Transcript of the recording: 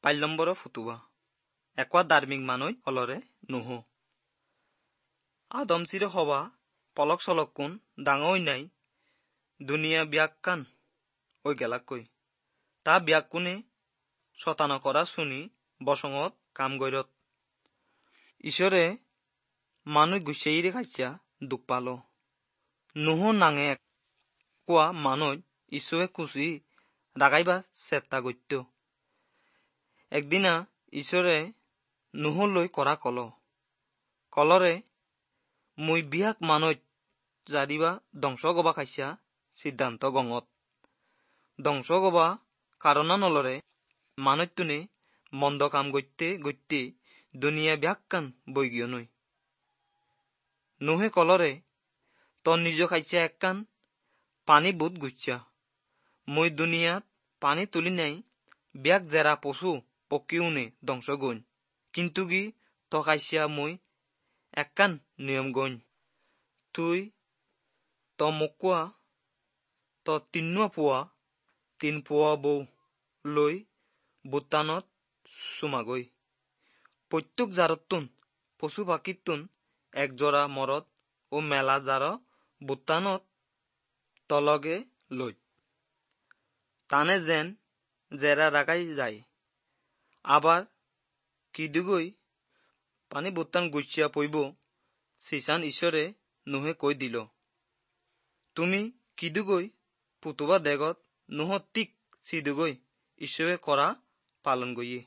পাইল নম্বৰ ফুতুবা একোৱা ধাৰ্মিক মানুহ অলৰে নুহ। আদম চিৰ সভা পলক চলক কোন ডাঙৰ নাই দুনিয়া বিয়াক কান ঐ গেলাকৈ তা বিয়াক কোনে শতান কৰা শুনি বসঙত কাম গৈৰত। ঈশ্বৰে মানুহ গুচাইৰে খাইছা দুখ পাল। নুহ নাঙে কোৱা মানুহ ঈশ্বৰে কুচি ৰাগাইবা চেষ্টা গত্য। একদিনা ঈশ্বৰে নুহলৈ কৰা কল কলৰে মুই বিয়াক মানুহ জাৰিবা ধ্বংস গবা খাইছা সিদ্ধান্ত গঙত ধ্বংস গবা কাৰণা নলৰে মানুহটোনে মন্দ কাম গত্যে গত্যে দুনিয়া ব্যাখ্যান বৈ গিয় নৈ। নুহে কলৰে ত নিজ খাইছা এককান পানী বুট গুচ্ছা মই দুনিয়াত পানী তুলি নাই ব্যাক জেৰা পশু পক্ষীও নে ধ্বংস গইন, কিন্তু কি ত খাইছা মই এককান নিয়ম গইন, তুই ত মোকোৱা ত তিনুৱা পোৱা তিন পোৱা বৌ লৈ ভূটানত চুমাগৈ। প্ৰত্যেক জাৰতুন পশু পাখিতুন এক জোৰা মৰদ ও মেলা জাৰ ভূটানত তলগে লৈ তানে যেন জেৰা ৰাখাই যায়। আবাৰ কিদুগৈ পানী বুত্তান গুচিয়া পইব সিসান ঈশ্বৰে নুহে কৈ দিল, তুমি কিদুগৈ পুতুবা দেগত নুহ তিক সিদুগৈ ঈশ্বৰে কৰা পালন গইয়ে।